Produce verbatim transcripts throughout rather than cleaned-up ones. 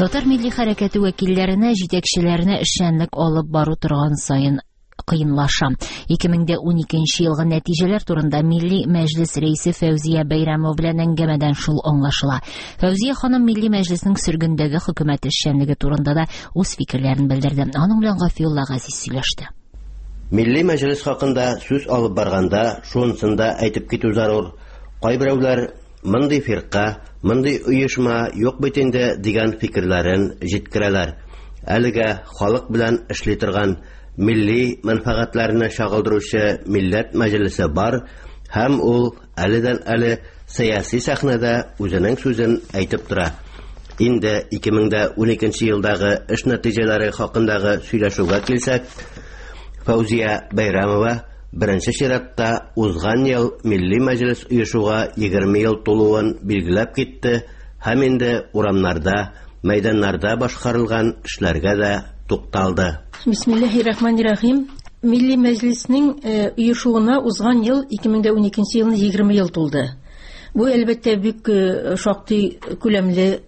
Татар милли хәрәкәте вәкилләренә, җитәкчеләренә эшчәнлек алып бару торган саен кыенлаша. ике мең дә уникенче елгы нәтиҗәләр турында Милли Мәҗлес рәисе Фәүзия Бәйрәмова белән әңгәмәдән шул аңлашыла. Фәүзия ханым Милли Мәҗлеснең сөргендәге хөкүмәт эшчәнлеге турында да үз фикерләрен белдерде. Аның белән Гафиулла Газиз сөйләште. Милли Мәҗлес хакында сүз алып барганда шунысын да әйтеп китү зарур. Кайберәүләр мондый фирка, мондый оешма юк бит инде дигән фикерләрен җиткерәләр. Әлегә халык белән эшли торган милли мәнфәгатьләрне чагылдыручы Милләт Мәҗлесе бар һәм ул әледән әле сәяси сәхнәдә үзенең сүзен әйтеп тора. Инде ике мең дә уникенче елдагы эш нәтиҗәләре хакындагы сөйләшүгә килсәк, Фәүзия Бәйрәмова беренче чиратта узган ел Милли Мәҗлес оешуга егерме ел тулуын билгеләп китте һәм инде урамнарда, мәйданнарда башкарылган эшләргә дә тукталды. Бисмиллаһир-рахманир-рахим. Милли Мәҗлеснең, э, оешуына узган ел ике мең дә уникенче елны егерме ел тулды. Бу әлбәттә бик, э, шактый күләмле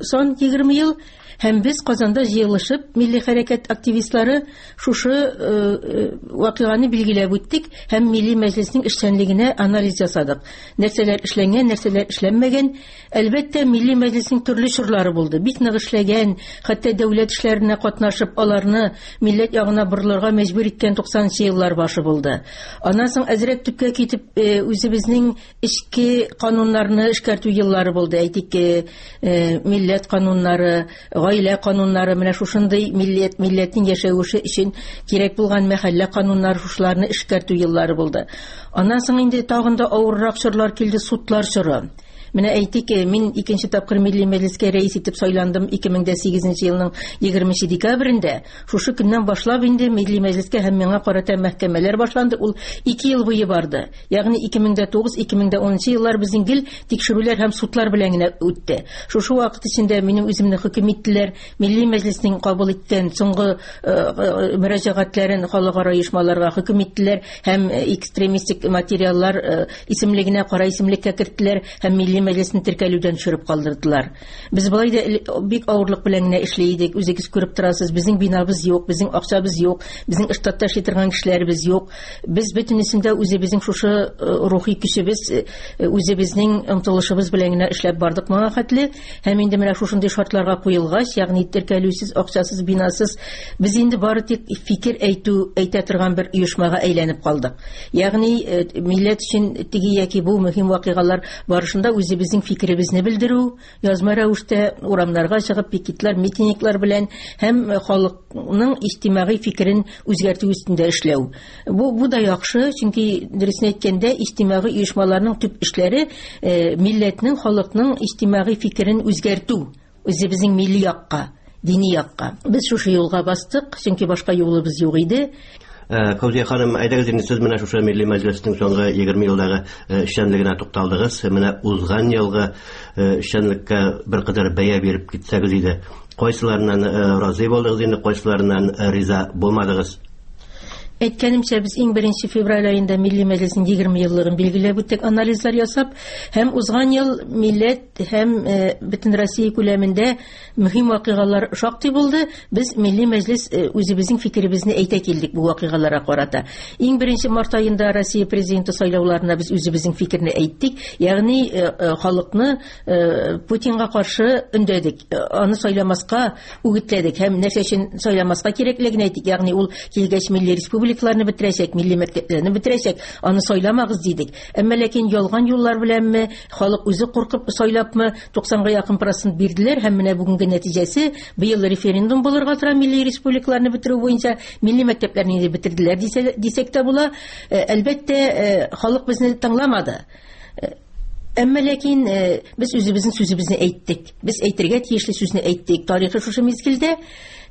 сан егерме ел. Һәм без Казанда җыелышып, милли хәрәкәт активистлары шушы, э, э, вакыйганы билгеләп үттек һәм Милли Мәҗлеснең эшчәнлегенә анализ ясадык. Нәрсәләр эшләнгән, нәрсәләр эшләнмәгән. Әлбәттә, Милли Мәҗлеснең төрле чорлары булды. Бик нык эшләгән, хәтта дәүләт эшләренә катнашып, аларны милләт ягына борылырга мәҗбүр иткән туксанынчы еллар башы булды. Аннан соң әзрәк төпкә китеп, э, үзебезнең эчке кануннарны эшкәртү еллары булды. Әйтик, э, э, милләт кануннары, гаилә кануннары, менә шушындый милләт, милләтнең яшәвеше өчен кирәк булган мәхәллә кануннары, шушыларны эшкәртү еллары булды. Аннан соң инде тагын да авыррак чорлар килде, судлар чоры. Менә әйтик, мин икенче тапкыр Милли Мәҗлескә рәис итеп сайландым ике мең дә сигезенче елның егерменче декабрендә. Шушы көннән башлап инде Милли Мәҗлескә һәм миңа карата мәхкәмәләр башланды. Ул ике ел буе барды. Ягъни ике мең дә тугыз, ике мең дә унынчы еллар безнең гел тикшерүләр һәм судлар белән генә үтте. Шушы вакыт эчендә минем үземне хөкем иттеләр. Милли Мәҗлеснең кабул иткән соңгы, э, э, мөрәҗәгатьләрен халыкара оешмаларга хөкем иттеләр һәм экстремистик материаллар, э, исемлегенә, кара исемлеккә керттеләр һәм Милли Мәҗлесне теркәлүдән төшереп калдырдылар. Без болай да эле-, бик авырлык белән генә эшли идек. Үзегез күреп торасыз, безнең бинабыз юк, безнең акчабыз юк, безнең штатта эшли торган кешеләребез юк. Без бөтенесендә үзебезнең шушы, э, рухи көчебез, э, үзебезнең омтылышыбыз белән генә эшләп бардык моңа хәтле. Һәм инде менә шушындый шартларга куелгач, ягъни теркәлүсез, акчасыз, бинасыз, без инде бары тик фикер әйтү, әйтә торган бер оешмага әйләнеп калдык. Ягъни, э, милләт өчен теге яки бу мөһим вакыйгалар барышында үзебезнең фикеребезне белдерү, язма рәвештә урамнарга чыгып пикетлар, митинглар белән һәм халыкның иҗтимагый фикерен үзгәртү өстендә эшләү. Бу, бу да яхшы, чөнки дөресен әйткәндә, иҗтимагый оешмаларның төп эшләре, э, милләтнең, халыкның иҗтимагый фикерен үзгәртү, үзебезнең милли якка, дини якка. Без шушы юлга бастык, чөнки башка юлыбыз юк иде. Э, Фәүзия ханым, әйдәгез инде сез менә шушы Милли Мәҗлеснең соңгы егерме елдагы, э, эшчәнлегенә тукталдыгыз. Менә узган елгы, э, эшчәнлеккә беркадәр бәя биреп китсәгез иде. Кайсыларыннан, э, разый булдыгыз инде, кайсыларыннан, э, риза булмадыгыз? Әйткәнемчә, без иң беренче февраль аенда Милли Мәҗлеснең егерме еллыгын билгеләп үттек, анализлар ясап, һәм узган ел милләт һәм, э, бөтен Россия күләмендә мөһим вакыйгалар шактый булды. Без Милли Мәҗлес, э, үзебезнең фикеребезне әйтә килдек бу вакыйгаларга карата. Иң беренче март аенда Россия президенты сайлауларына без үзебезнең фикерне әйттек, ягъни, э, э, халыкны, э, Путинга каршы өндәдек, э, аны сайламаска үгетләдек һәм нәрсә өчен сайламаска кирәклеген әйттек, ягъни ул килгәч милли республика республикаларны бетерәчәк, милли мәктәпләрне бетерәчәк, аны сайламагыз дидек. Әмма ләкин ялган юллар беләнме, халык үзе куркып сайлапмы, туксанга якын процент бирделәр һәм менә бүгенге нәтиҗәсе быел референдум булырга тора милли республикаларны бетерү буенча, милли мәктәпләрне инде бетерделәр дисә, дисәк тә була. Э, әлбәттә, э, халык безне тыңламады. Э, әмма ләкин, э, без үзебезнең сүзебезне әйттек. Без әйтергә тиешле сүзне әйттек. Тарихы шушы мизгелдә.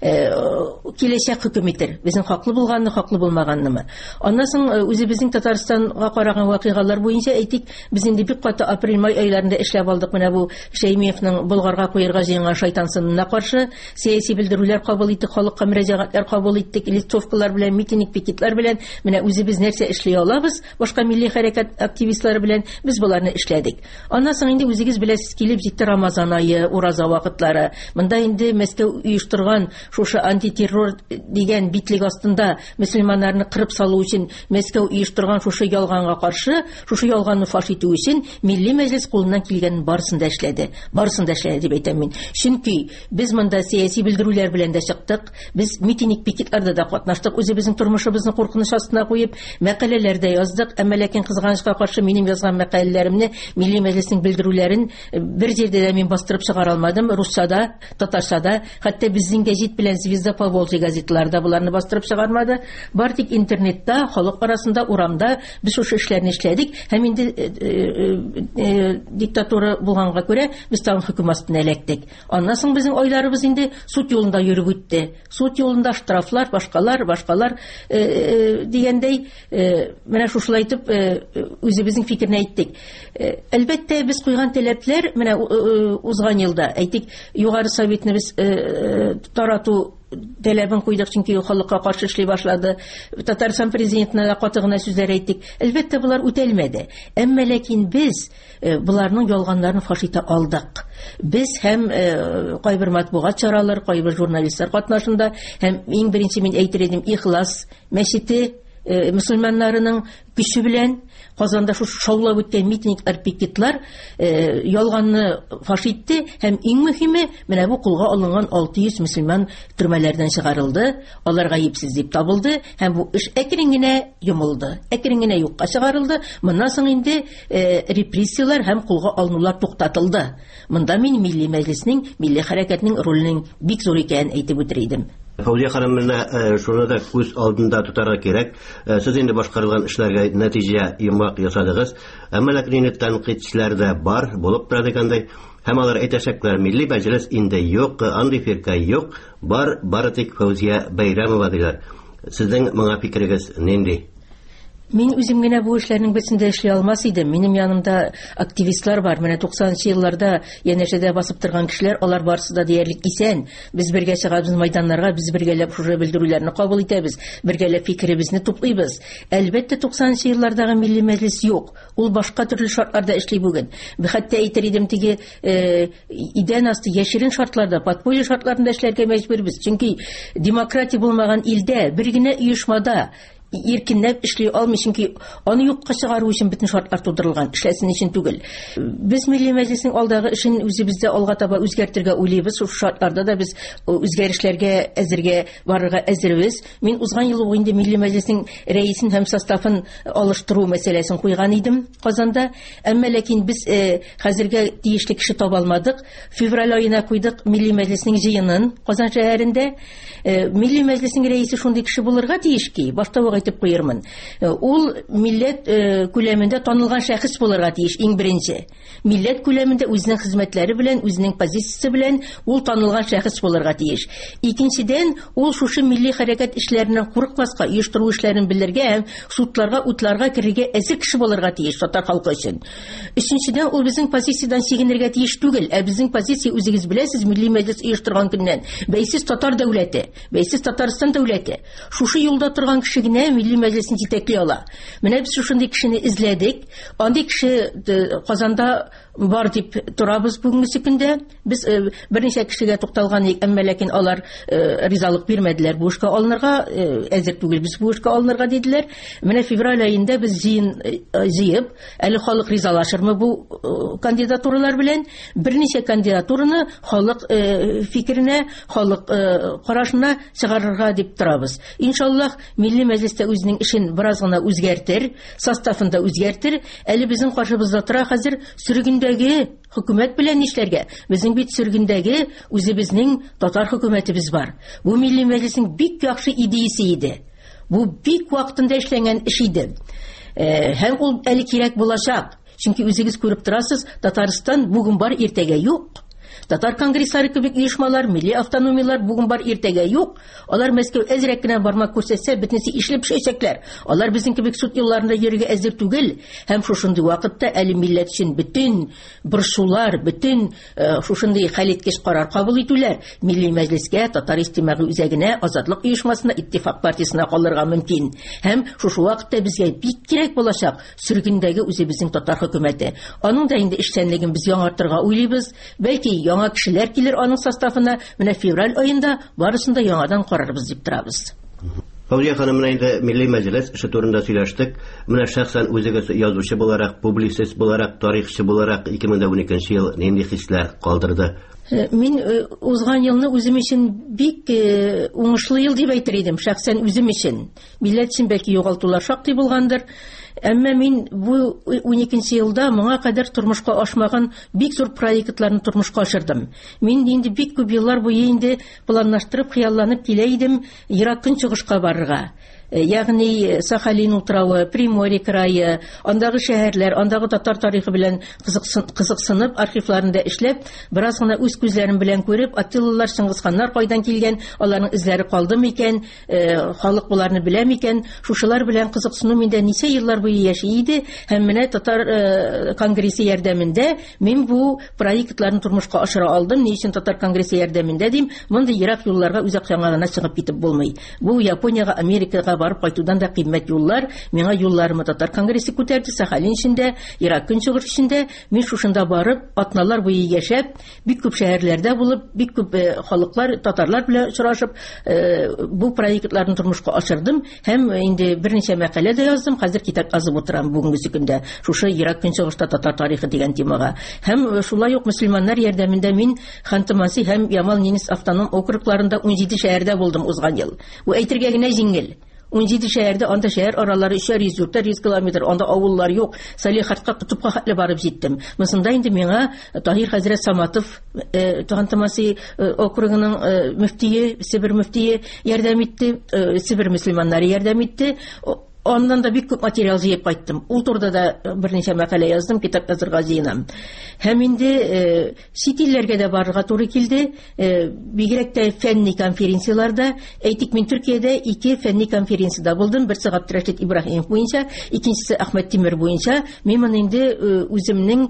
Киләчәк хөкем итер. Безнең хаклы булганны, хаклы булмаганнымы. Аннан соң үзебезнең Татарстанга караган вакыйгалар буенча әйтик, без инде бик каты апрель-май айларында эшләп алдык. Менә бу Шәймиевның Болгарга куерга җыенган шайтан сынына каршы сәяси белдерүләр кабул иттек, халыкка мөрәҗәгатьләр кабул иттек, листовкалар белән, митинг, пикетлар белән. Менә үзебез нәрсә эшли алабыз, башка милли хәрәкәт активистлары белән без боларны эшләдек. Аннан соң инде үзегез беләсез, килеп җитте Рамазан ае, ураза вакытлары. Монда инде Мәскәү оештырган шушы антитеррор дигән битлек астында мөселманнарны кырып салу өчен Мәскәү оештырган шушы ялганга каршы, шушы ялганны фаш итү өчен Милли Мәҗлес кулыннан килгәнен барысын да эшләде. Барысын да эшләде дип әйтәм мин. Чөнки без монда сәяси белдерүләр белән дә чыктык, без митинг, пикетларда да катнаштык, үзебезнең тормышыбызны куркыныч астына куеп, мәкаләләр дә яздык. Әмма ләкин кызганычка каршы минем язган мәкаләләремне, Милли Мәҗлеснең белдерүләрен бер җирдә дә мин бастырып чыгара алмадым. Русча да, татарча да, хәтта безнең гәзит белән Звезда Поволжья газетларда буларны бастырып чыгармады. Бар тик интернетта, халык арасында, урамда без шушы эшләрне эшләдек. Һәм инде диктатура булганга күрә без тагын хөкем астына эләктек. Аннан соң безнең айларыбыз инде суд юлында йөреп үтте. Суд юлында штрафлар, башкалар, башкалар дигәндәй, менә шушылай итеп үзебезнең фикерне әйттек. Әлбәттә, без куйган таләпләр менә узган елда, әйтик, Югары Советны без тарату таләбен куйдык, чөнки халыкка каршы эшли башлады. Татарстан президентына да каты гына сүзләр әйттек. Әлбәттә, булар үтәлмәде. Әмма ләкин без буларның ялганнарын фаш итә алдык. Без һәм кайбер матбугат чаралар, кайбер журналистлар катнашында һәм иң беренче мин әйтер идем, Ихлас мәчете мөселманнарының көче белән Казанда шушы шаулап үткән митинглар, пикетлар ялганны фаш итте һәм иң мөһиме, менә бу кулга алынган алты йөз мөселман төрмәләрдән чыгарылды, алар гаепсез дип табылды һәм бу эш әкрен генә йомылды, әкрен генә юкка чыгарылды. Моннан соң инде репрессияләр һәм кулга алынулар туктатылды. Монда мин Милли Мәҗлеснең, милли хәрәкәтнең роленең бик зур икәнен әйтеп үтер идем. Фәүзия ханым, менә шуны да күз алдында тотарга кирәк. Сез инде башкарылган эшләргә нәтиҗә йомгак ясадыгыз. Әмма ләкин инде тәнкыйтьчеләр дә бар, булып тора дигәндәй. Һәм алар әйтәчәкләр, Милли Мәҗлес инде юк, андый фирка юк, бар бары тик Фәүзия Бәйрәмова диләр. Сезнең моңа фикерегез нинди? Мин үзем генә бу эшләрнең берсен дә эшли алмас идем. Минем янымда активистлар бар. Менә туксанынчы елларда янәшәдә басып торган кешеләр, алар барысы да диярлек исән. Без бергә чыгабыз майданнарга, без бергәләп шушы белдерүләрне кабул итәбез, бергәләп фикеребезне туплыйбыз. Әлбәттә, туксанынчы еллардагы Милли Мәҗлес юк. Ул башка төрле шартларда эшли бүген. Хәтта әйтер идем, теге идән асты яшерен шартларда, подполье шартларында эшләргә мәҗбүрбез. Чөнки демократия булмаган илдә бер генә оешмада иркенләп эшли алмый, чөнки аны юкка чыгару өчен бөтен шартлар тудырылган, эшләсен өчен түгел. Без Милли Мәҗлеснең алдагы эшен үзебездә алга таба үзгәртергә уйлыйбыз. Шул шартларда да без үзгәрешләргә әзергә барырга әзербез. Мин узган ел ук инде Милли Мәҗлеснең рәисен һәм составын алыштыру мәсьәләсен куйган идем Казанда. Әмма ләкин без хәзергә тиешле кеше таба алмадык. Февраль аена куйдык Милли Мәҗлеснең җыенын Казан шәһәрендә. Милли Мәҗлеснең рәисе шундый кеше булырга тиеш ки, башта ук әйтеп куермын. Ул милләт күләмендә танылган шәхес булырга тиеш иң беренче. Милләт күләмендә үзенең хезмәтләре белән, үзенең позициясе белән ул танылган шәхес булырга тиеш. Икенчедән, ул шушы милли хәрәкәт эшләреннән курыкмаска, оештыру эшләрен белергә һәм судларга, утларга керергә әзер кеше булырга тиеш татар халкы өчен. Өченчедән, ул безнең позициядән чигенергә тиеш түгел. Ә безнең позиция, үзегез беләсез, Милли Мәҗлес оештырган көннән бәйсез татар дәүләте, бәйсез Татарстан дәүләте. Шушы юлда торган кеше генә Милли Мәҗлесен җитәкли ала. Менә без шушындый кешене эзләдек. Андый кеше Казанда бар дип торабыз бүгенге көндә. Без берничә кешегә тукталган идек, әмма ләкин алар ризалык бирмәделәр. Бу эшкә алынырга әзер түгел, без бу эшкә алынырга диделәр. Менә февраль аенда без җыен җыеп, әле халык ризалашырмы бу кандидатуралар белән, берничә кандидатураны халык фикеренә, халык карашына чыгарырга дип торабыз. Иншаллаһ, Милли Мәҗлестә үзенең эшен бераз гына үзгәртер, составын да үзгәртер. Әле безнең каршыбызда тора хәзер сөргендәге хөкүмәт белән нишләргә? Безнең бит сөргендәге үзебезнең татар хөкүмәтебез бар. Бу Милли Мәҗлеснең бик яхшы идеясе иде. Бу бик вакытында эшләнгән эш иде. Һәм ул әле кирәк булачак. Чөнки үзегез күреп торасыз, Татарстан бүген бар, иртәгә юк. Татар конгресслары кебек оешмалар, милли автономиялар бүген бар, иртәгә юк. Алар Мәскәү әзрәк кенә бармак күрсәтсә, бөтенесе ишелеп төшәчәкләр. Алар безнең кебек суд юлларында йөрергә әзер түгел. Һәм шушындый вакытта әле милләт өчен бөтен борчулар, бөтен шушындый хәлиткеч карар кабул итүләр Милли Мәҗлескә, Татар иҗтимагый үзәгенә, Азатлык оешмасына, Иттифак партиясенә калырга мөмкин. Һәм шушы вакытта безгә бик кирәк булачак сөргендәге үзебезнең татар хөкүмәте. Аның да инде эшчәнлеген без яңартырга уйлыйбыз. Бәлки яңа кешеләр килер аның составына. Менә февраль аенда барысын да яңадан карарбыз дип торабыз. Фәүзия ханым, менә инде Милли Мәҗлес эше турында сөйләштек. Менә шәхсән үзегез язучы буларак, публицист буларак, тарихчы буларак ике мең ун икенче ел нинди хисләр калдырды? Мин узган елны үзем өчен бик уңышлы ел дип әйтер идем, шәхсән үзем өчен. Милләт өчен бәлки югалтулар шактый булгандыр. Әмма мин бу ун икенче елда моңа кадәр тормышка ашмаган бик зур проектларны тормышка ашырдым. Мин инде бик күп еллар буе инде планлаштырып, хыялланып килә идем Ерак Көнчыгышка барырга. Ягъни Сахалин утравы, Приморье крае, андагы шәһәрләр, андагы татар тарихы белән кызыксынып, архивларында эшләп, бераз гына үз күзләрем белән күреп, Аттилалар, Чыңгызханнар кайдан килгән, аларның эзләре калды микән, халык буларны белә микән, шушылар белән кызыксыну миндә ничә еллар буе яши иде. Һәм менә татар конгрессы ярдәмендә мин бу проектларны тормышка ашыра алдым. Ни өчен татар конгрессы ярдәмендә дим? Мондый ерак юлларга үз акчаңа гына чыгып китеп булмый. Бу Япониягә, Америкага барып кайтудан да кыйммәт юллар. Миңа юлларымы татар конгрессы күтәрде, Сахалин эчендә, Ерак Көнчыгыш эчендә. Мин шушында барып, атналар буе яшәп, бик күп шәһәрләрдә булып, бик күп халыклар, татарлар белән очрашып, бу проектларны тормышка ашырдым. Һәм инде берничә мәкалә дә яздым. Хәзер китап язып утырам бүгенге көндә. Шушы Ерак Көнчыгышта татар тарихы дигән темага. Һәм шулай ук мөселманнар ярдәмендә мин Ханты-Манси һәм Ямал-Ненец автоном округларында ун җиде шәһәрдә булдым узган ел. Бу әйтергә генә җиңел. Ун җиде шәһәрдә, анда шәһәр аралары өчәр йөз, дүртәр йөз километр, анда авыллар юк. Салехардка, Котыпка хәтле барып җиттем. Монсында инде миңа Таһир хәзрәт Саматов, Ханты-Манси округының мөфтие, Себер мөфтие ярдәм итте, Себер мөселманнары ярдәм итте. Аннан да бик күп материал җыеп кайттым. Ул турыда да берничә мәкалә яздым, китап язырга җыенам. Һәм инде чит илләргә дә барырга туры килде. Бигрәк тә фәнни конференцияләрдә. Әйтик, мин Төркиядә ике фәнни конференциядә булдым. Берсе Габдрәшит Ибраһимов буенча, икенчесе Әхмәт Тимер буенча. Мин моны инде үземнең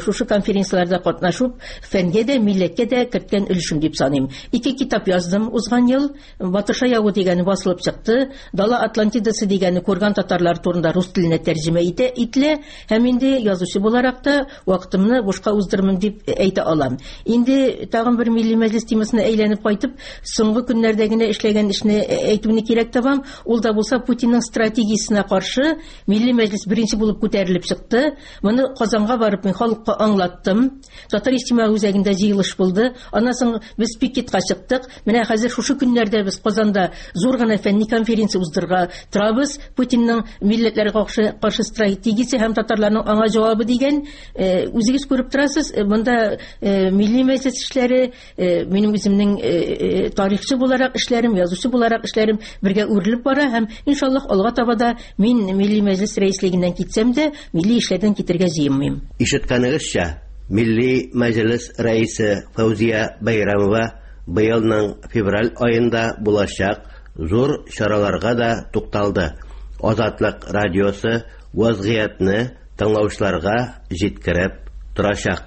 шушы конференцияләрдә катнашып, фәнгә дә, милләткә дә керткән өлешем дип саныйм. Ике китап яздым узган ел. Батырша явы дигәне басылып чыкты. Дала Атлантидасы дигәне Курган татарлар турында рус теленә тәрҗемә итә ителә. Һәм инде язучы буларак та вакытымны бушка уздырмын дип әйтә алам. Инде тагын бер Милли Мәҗлес темасына әйләнеп кайтып, соңгы көннәрдә генә эшләгән эшне әйтүне кирәк табам. Ул да булса Путинның стратегиясенә каршы Милли Мәҗлес беренче булып күтәрелеп чыкты. Моны Казанга барып мин халыкка аңлаттым. Татар иҗтимагый үзәгендә җыелыш булды. Аннан соң без пикетка чыктык. Менә хәзер шушы көннәрдә без Казанда зур гына фәнни конференция уздырырга торабыз. Путинның милләтләргә каршы, каршы стратегиясе һәм татарларның аңа җавабы дигән, үзегез күреп торасыз, монда Милли Мәҗлес эшләре, минем үземнең тарихчы буларак эшләрем, язучы буларак эшләрем бергә үрелеп бара һәм иншаллаһ алга таба да мин Милли Мәҗлес рәислегеннән китсәм дә, милли эшләрдән китергә җыенмыйм. Ишеткәнегезчә, Милли Мәҗлес рәисе Фәүзия Бәйрәмова быелның февраль аенда булачак зур чараларга да тукталды. Азатлык радиосы вазгыятьне тыңлаучыларга җиткереп торачак.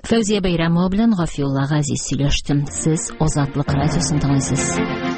Фәүзия Бәйрәмова белән Гафиулла Газиз сөйләште. Сез Азатлык радиосын тыңлыйсыз.